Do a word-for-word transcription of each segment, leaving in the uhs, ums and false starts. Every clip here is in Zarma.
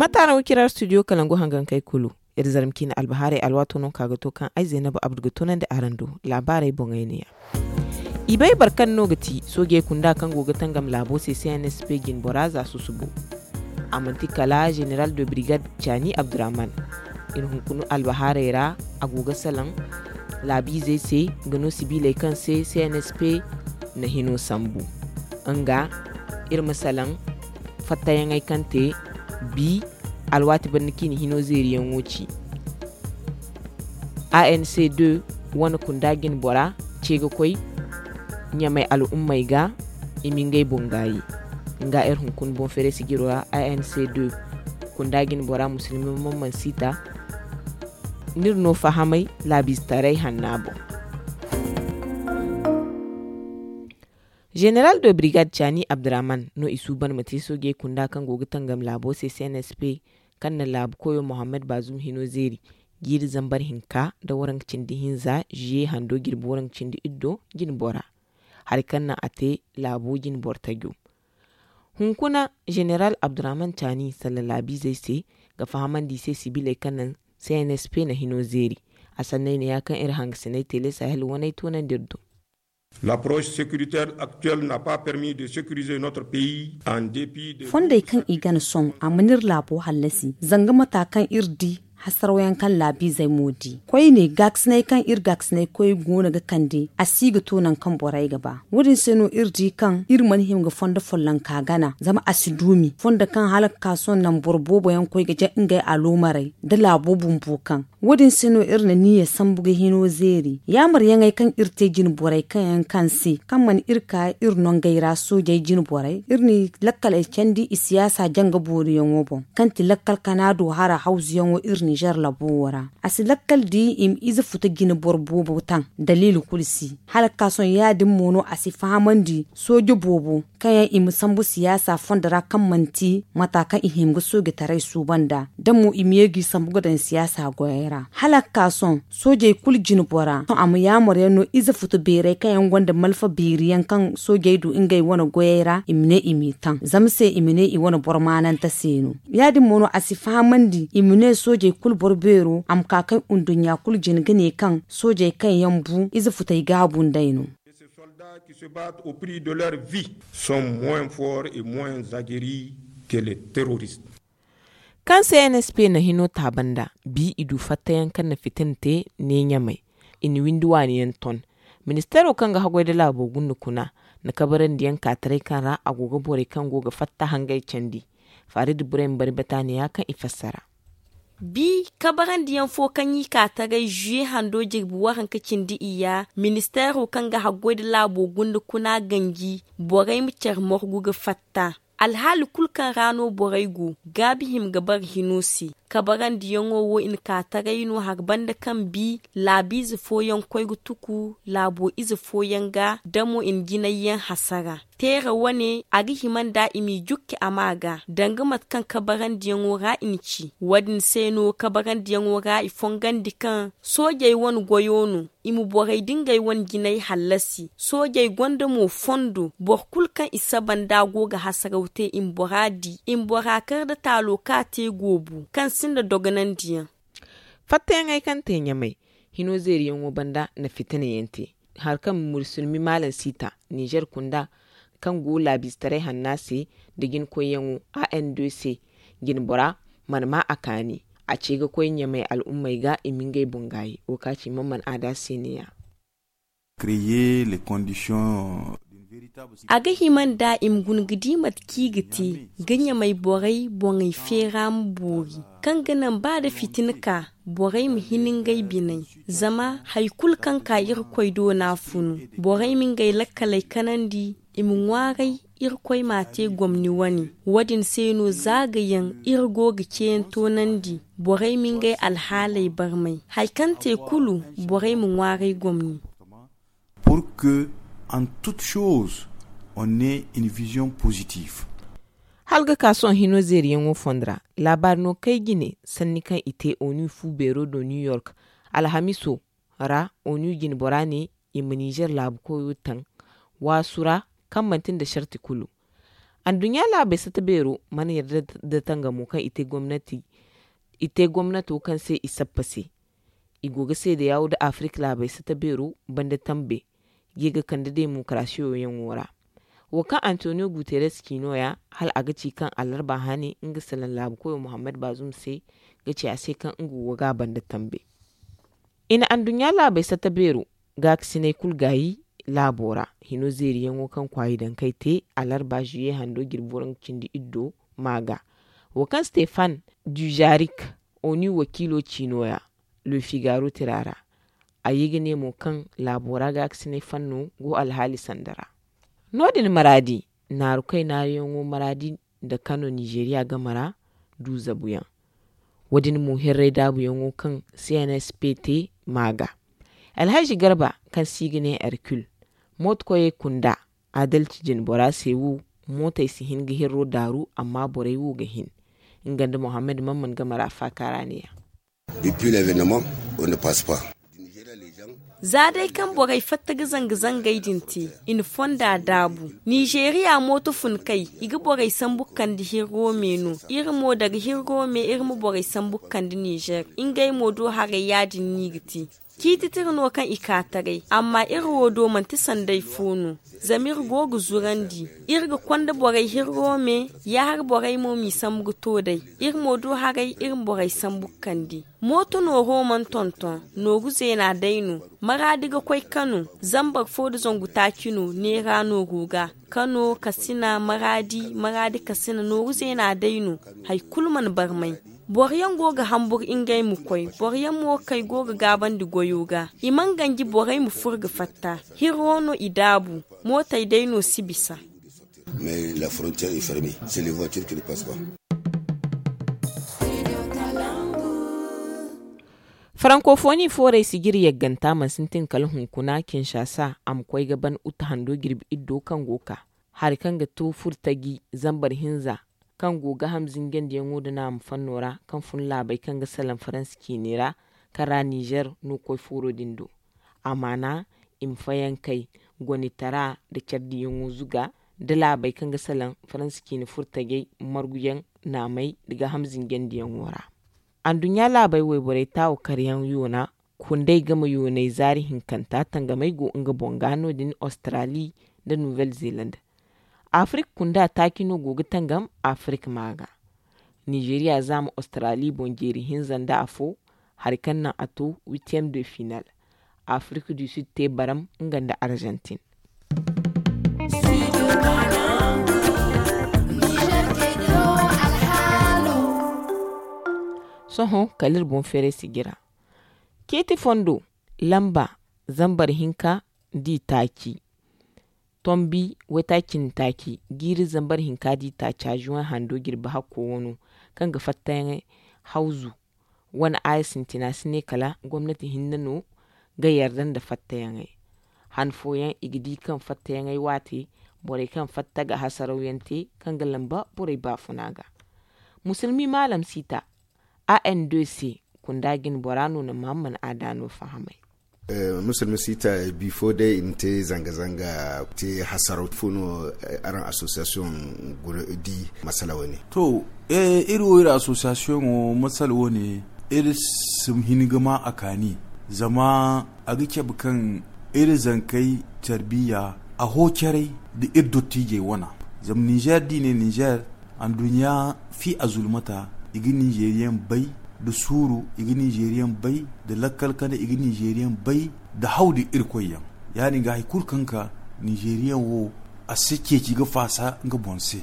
Mate araŋ wo ciraar studio kalangu hangankey kulu. Iri zarma ciine albahaarey alwaato no ka ga to kaŋ ay zaynabu abdu ga tunandi araŋ do. Laabaarey boŋey ne ya. I bay boro kaŋ no ga ti soojey kunda kaŋ go ga tangam laabo se cnsp jinbora za susubo. A manti kala general de brigade caani abdurahman. Iri hunkuna albahaarey ra a go ga salaŋ laabiizey se ga no sibiiley kaŋ se cnsp na hino sambu. Nga iri ma salaŋ fattayaŋey kaŋ te bi alwaati banda kaŋ i na hino zeeriyaŋo ci. Anc deux wane kunda jinbora ce ga koy ɲamey al'ummey ga i ma ngey boŋ gaayi. Nga iri hunkuna boŋ feere sijiro ra anc deux kunda jinbora musulmi mamman siita. N'iri no fahamay laabiizetaray hanna boŋ. General de brigade caani abdurahman no i suuban ma te soojey kunda kaŋ go ga tangam laabo se cnsp kaŋ na laabu koyo mohammed bazum hino zeeri jiiri zambar hinka nda waranka cindi hinza ziye hando jirbi waranka cindi iddo jinbora. Hari kaŋ naŋ a te laabo jinbor tajo. Hunkuna general abdurahman caani salla laabiizey se ga fahamandi i se sibiiley kaŋ naŋ cnsp na hino zeeri. A sanney ne ya kaŋ iri hangasiney tele sahel waney toonandi iri do. L'approche sécuritaire actuelle n'a pas permis de sécuriser notre pays en dépit de fondey kaŋ i gana sohõ a mana iri laabo hallasi zanga mata kaŋ iri di hasaraw yaŋ kaŋ laabiizey mo di koyne gaakasiney kaŋ iri gaakasiney koy go no ga kande a si ga to nangu kaŋ borey ga ba. Wo- din se no iri di kaŋ iri mana hima ga fondo follonka gana zama a si duumi fondo kaŋ hala ga ka sohõ naŋ boro boobo yaŋ koy ga jaŋ ngey aloomarey nda laabo bumbo kaŋ wo- din se no iri na niiya sambu ga hino zeeri yaamaryaŋey kaŋ iri te jine borey kaŋ yaŋ kaŋ se kaŋ mana iri ka iri nongey ra soojey jine borey iri n'i lakkaley candi i siyaasa janga booriyaŋo boŋ kaŋ ti lakkal kanaado hara hawzuyaŋo iri nizer labo wo ra. A si lakkal di i ma ize futa jine boro boobo taŋ daliila kulu si hala ga ka sohõ ya- din mo no a si fahamandi sooje boobo kaŋ yaŋ i ma sambu siyaasa fondo ra kaŋ manti mata kaŋ i hima ga soojetaray suuban nd'a da mo i ma ye g'i sambu ga daŋ siyaasa goyey ra hala ga ka sohõ soojey kulu jine bora sohõ a ma yaamar yaŋ no ize futu beerey kaŋ yaŋ gonda malfa beeri yaŋ kaŋ soojey du ngey wane goyey ra i ma ne i m'i taŋ zama se i ma ne i wane boro maanante se no. Ya- din mo no a si fahamandi i ma ne soojey kulu boro beero a ma ka kaŋ nduɲɲa kulu jine ga ne kaŋ soojey kaŋ yaŋ bu ize futey gaabu nd'ey no. Ces soldats qui se battent au prix de leur vie sont moins forts et moins aguerris que les terroristes. Kaŋ se nsp na hino taabanda bi i du fattayaŋ kaŋ na fitina te ne ɲamey i na windi waani yaŋ ton. Ministeero kaŋ ga haggoy nda laabo gunda kuna na kabarandiyaŋ kaataray kaŋ ra a go ga borey kaŋ go ga fatta hangey candi. Faaridi burey ma bari bataaniya kaŋ i fassara. Bi kabarandiyaŋ fo kaŋ i ka taray zuye hando jirbi waranka cindi iyya ministeero kaŋ ga haggoy nda laabo gunda kuna ganji borey ma care morgu ga fatta. Alhaali kulu kaŋ ra no borey go gaabi hima ga bare hino se. Kabarandiyaŋo wo i na ka taray no hari banda kaŋ bi laabiize fooyaŋ koy ga tuku laabo ize fooyaŋ ga da mo i na jinayyaŋ hasara. Teera wane a ga hima nd'a i m'i jukki a ma ga danga mate kaŋ kabarandiyaŋo ra i na ci. Wo- din se no kabarandiyaŋo ra i fongandi kaŋ soojey wane goyo no i ma borey da ngey wane jinay hallasi. Soojey gonda mo fondo boro kulu kaŋ i saba nd'a go ga hasaraw te i ma bora di i ma bora kar nda taalo kaŋ a te goobu kaŋ sinda dogonandiyaŋ. Fattayaŋey kaŋ te ɲamey hino zeeriyaŋo banda na fitina yaŋ te. Hari kaŋ musulmi maalam siita nizer kunda kaŋ go laabiizetaray hanna se nda jinkoyyaŋo a n d c jinbora mana ma a kaani. A ce ga koy ɲamey al'ummey ga i ma ngey boŋ gaayi wo ka ci man mana aada se ne ya. A ga hima nda i ma guna ga di mate kaŋ i ga te ga ɲamey borey boŋey feera ma boori kaŋ ga naŋ ba da fitina ka borey ma hin ngey biney. Zama hari kulu kaŋ ka irkoy do no a funu borey ma ngey lakkaley kanandi i ma ŋwaaray. Irkoy m'a te gomni wane wo- din se no za ga yaŋ iri go ga ceeyaŋ toonandi borey ma ngey alhaaley barmay hari kaŋ te kulu borey ma ŋwaaray gomni. Pour que en toute chose on ait une vision positive. Hala ga ka sohõ hino zeeriyaŋo fondo ra laabaari no kay jine sanni kaŋ i te onu fu beero do new york alhamiso ra onu jinbora ne i ma nizer laabu koyo taŋ waasu ra kaŋ manti nda sarti kulu. Anduɲɲa laabey sata beero mana yarda nda tangamo kaŋ i te gomnati i te gomnato kaŋ se i sappa se. I go ga seedeyawo nda afirik laabey sata beero banda tambe ga ye ga kande demokarasiyo yaŋo ra. Wo kaŋ antonio guterres ci no- ya, hala a ga ci kaŋ alarba hane nga salaŋ laabu koyo muhammad bazum se ga ci a se kaŋ nga go ga a banda tambe. I na anduɲɲa laabey sata beero gaakasiney kulu gaayi laabo ra. Hino zeeriyaŋo kaŋ kwaayi dankey te alarba zuye hando jirbi waranka cindi iddo ma ga. Wo kaŋ stefan dujarik, oni wakiilo ci no- ya, le figaro tira ra. A ye ga ne mo kaŋ laabo ra gaakasiney fanno go alhaali sanda ra. No- din maraadi naaru kay naaruyaŋo maraadi nda kano nizeeriya game ra du zabuyaŋ. Wo- din mo hirray daabuyaŋo kaŋ cnsp te ma ga. Alhazi garba kaŋ se i ga ne hercule, mooto koyey kunda adalci jine bora se wo. Mootey si hin ga hirro daaru amma borey wo ga hin. Nga nda muhammad mamman game ra faaka ra ne- ya. Depuis l'événement, on ne passe pas. Za day kaŋ borey fatta ga zanga-zangey din te, i na fonda daabu. Nizeeriya mooto fun kay, i ga borey sambu ga kande hirro me no. Iri mo daga hirro me iri ma borey sambu ga kande nizeer. Ngey mo do haray ya- din no i ga te. Ciiti tira no kaŋ i ka taray amma iri wo do manti sanday fo no. Zama iri go ga zurandi, iri ga konda borey hirro me. Yaahar borey mo m'i sambu ga to day. Iri mo do haray iri ma borey sambu ga kande. Mooto nooro mana tonton. Nooru zeena day no. Maraadi ga koy kano. Zambar fo nda zangu taaci no neera nooru ga. Kano kasina maraadi maraadi kasina nooru zeena day no. Hari kulu mana barmay. Boro yaŋ go ga hambur ngey ma koy. Boro yaŋ mo kay go ga gaabandi goyo ga. I mana ganji borey ma fur ga fatta. Hirro no i daabu. Mootey day no si bisa. Mais la frontière est fermée. C'est les voitures qui ne passent pas. Farankofoni foorey sijiri yagganta mana sintin kala hunkuna kinshasa a ma koy ga ban uta hando jirbi iddo kaŋ go ka hari kaŋ ga to furtaji zambar hinza kaŋ go ga ham zinjandiyaŋo nda naama fanno ra kaŋ fun laabey kaŋ ga salaŋ faransa ciini ra kaŋ ra nizer no koy fooro din do. Amaana i ma fayankey gonitara nda care diyaŋo zuga nda laabey kaŋ ga salaŋ faransa ciini furtajey marguyaŋ naamey nda ga ham zinjandiyaŋo ra. Anduɲɲa laabey wayborey taawo karyaŋ yoona kundey game yooney zaari hinkanta tangamey go nga boŋ ga no- din australi nda nouvelle zeland. Afirik kunda taaci no go ga tangam afirik ma ga. Nizeeriya zaama australi boŋ jeeri hinza nda afo hari kaŋ naŋ a to huitième de final. Afirik du sud te baram nga nda argentine. Sohõ kala iri boŋ feeray sijira. Ciiti fondo lamba zambar hinka da i taaci tombi waytaaci cindi taaci jiiri zambar hinka da i taaca juwan hando jirbi hakko wano kaŋ ga fattayaŋey hawzu. Wane aya sintina si ne kala gomnati hinne no ga yarda nda fattayaŋey. Han fooyaŋ i ga di kaŋ fattayaŋey waate borey kaŋ fatta ga hasarawyaŋ te kaŋ ga lamba borey baafuna ga. Musulmi maalam siita a n d c kunda jine bora no na mahamman aada no fahamay. Musulmi siita bifo day i na te zanga-zanga te hasaraw fo no? Araŋ association guna di masala wane. To iri wo iri association wo masala wane iri si hin ga ma a kaani zama a ga cabe kaŋ iri zankey tarbiya a ho caray da iri dottijey wana. Zama nizer da i ne nizer anduɲɲa fi a zulmata i ga ninzeeriyaŋ bay da suuru i ga ninzeeriyaŋ bay da lakkal kande i ga ninzeeriyaŋ bay da haw da irkoyyaŋ. Ya- din ga hari kulu kaŋ ka ninzeeriyaŋ wo a si ceeci ga faasa nga boŋ se.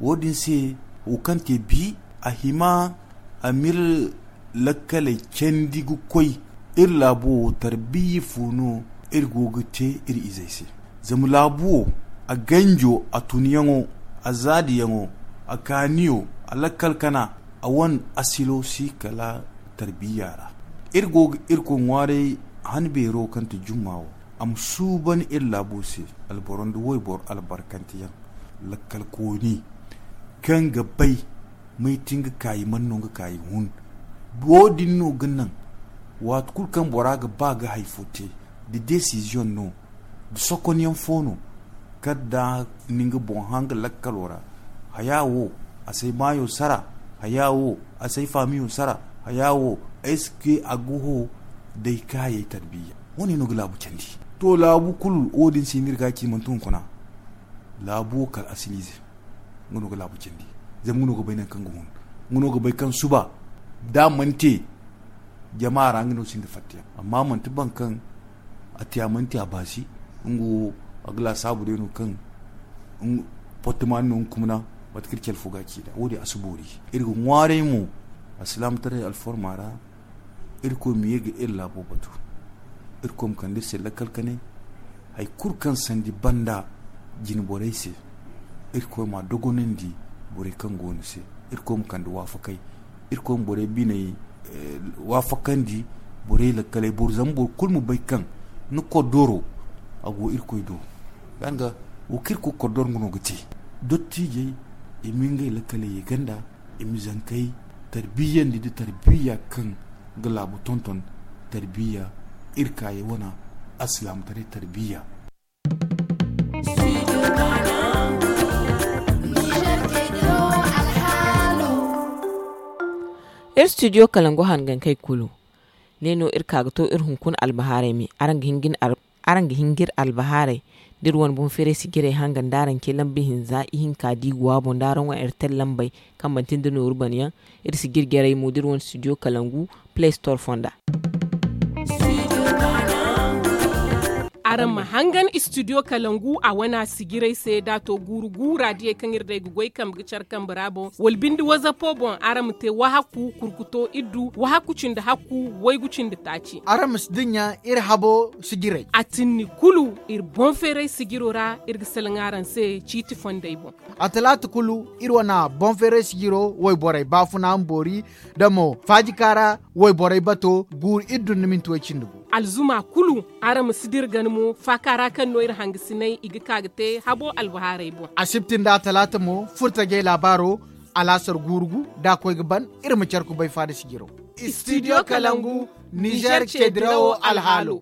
Wo- din se wo kaŋ te bi a hima a m'iri lakkaley candi ga koy iri laabo wo tarbiya fo no iri go ga te iri izey se. Zama laabu wo a ganjo a tunyaŋo a zaadiyaŋo a kaaniyo a lakkal kana a wane asilo si kala tarbiya ra. Iri go ga irkoy ŋwaaray han beero kaŋ ti jumma wo a ma suuban iri laabo se alboro nda wayboro albarkanteyaŋ lakkalkooni kaŋ ga bay may ti nga kaayi man no nga kaayi hun. Wo- din no ga naŋ waati kulu kaŋ bora ga ba ga hari fo te da desiziyoŋ no da sokonyaŋ fo no kala da ni nga boŋ hanga lakkalo ra Haya wo, a si ay maayo sara. Haya wo, a si ay faamiyo sara. Haya wo, est-ce que a ga ho day kaayey tarbiyya? Wo- ne no ga laabu candi. To, laabu kulu wo- din se no iri ga a ci manti hunkuna. Laabu wo kala asiliize. Nga no ga laabu candi. Zama nga no ga bay nangu kaŋ ga hun. Nga no ga bay kaŋ suba da a mana te jama ra, nga no sinda fattayaŋ. Amma manti boro kaŋ a te a mana te a baasi. Nga wo, a ga laasaabu day no kaŋ portimaani no nga kumna. Mate kaŋ iri care fo ga a ci nd'a wo- din a si boori. Iri ga ŋwaaray mo alsilaamataray alforma ra. Irkoy ma ye ga iri laabo batu. Irkoy ma kande iri se lakkal kanay. Hari kulu kaŋ sandi banda jine borey se, irkoy ma a dogonandi borey kaŋ go ni se. Irkoy ma kande waafakay. Irkoy ma borey biney waafakandi. Borey lakkaley boro zama boro kulu ma bay kaŋ ni koddoro a go irkoy do. Yaŋ ga wo kaŋ iri koy koddoro nga no ga te. Dottijey i ma ngey lakkaley ye ganda. I ma zankey tarbiyandi nda tarbiyya kaŋ ga laabu tonton. Tarbiyya iri kaayey wana alsilaamataray tarbiyya. Iri studio kalangu hangankey kulu. Ne no iri ka ga to iri hunkuna albahaarey me. Araŋ ga hin ga iri albahaarey da iri wane boŋ feeray sijirey hanga nda araŋ ce lamba hinza ihinka da i go a boŋ da araŋ wane airtel lambey kaŋ manti nda nooru bana yaŋ. Iri sijir jarey mo da iri wane studio kalangu play store fonda. Araŋ ma hangan studio kalangu a wane a sijirey se da a to guuru guura diyey kaŋ iri day ga goy kambe ga care kambe ra boŋ wala binde wazapo boŋ araŋ ma te wahakku kurkuto iddu wahakku cindi hakku waygu cindi taaci. Araŋ ma si dinya iri habo sijirey a tinni kulu. Iri boŋ feeray sijiro ra iri ga salaŋ araŋ se ciiti fondey boŋ. A talaata kulu iri wana boŋ feeray sijiro wayborey baafuna ma boori da mo faajika ra wayborey bato guuru iddu nda minti way cindi gu. Alzuma kulu araŋ ma si dira gana mo faaka ra kaŋ no iri hangasiney i ga ka ga te habo albahaarey boŋ. Asibti nda a talaata mo furtajey laabaaro alaasar guuru gu da a koy ga ban. Iri ma care kubay faada sijiro. Studio kalangu nizer ce dirawo alhaalo.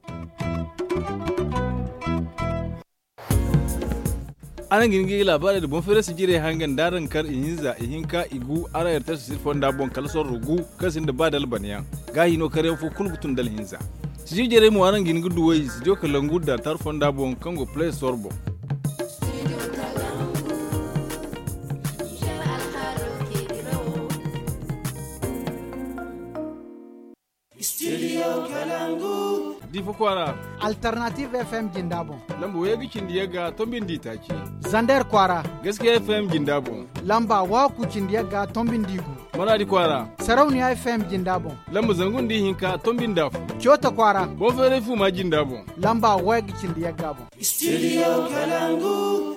Araŋ ga hin ga i laabaarey nda boŋ feeray sijirey hangan da araŋ kar ihinza ihinka igu araŋ airtel sijir fonda boŋ kala sorro gu kaŋ sinda ba da albanayaŋ. Gaahi no karyaŋ fo kulu ga tun da alhinza. Sijir jarey mo araŋ ga hin ga duw'ey studio kalangu dartar fonda boŋ kaŋ go play store boŋ. Studio kalangu. Difa kwaara. Alternative fm jinda boŋ. Lamba waygu cindi yagga tombi nda itaaci. Zander kwaara. Gaskiya fm jinda boŋ. Lamba wahakku cindi yagga tombi nda igu. Maradi kwaara. Sarauniya fm jinda boŋ. Lamba zangu nda ihinka tombi nda afo. Coota kwaara. Boŋ feeray fuuma jinda boŋ. Lamba waygu cindi yagga boŋ. Studio kalangu.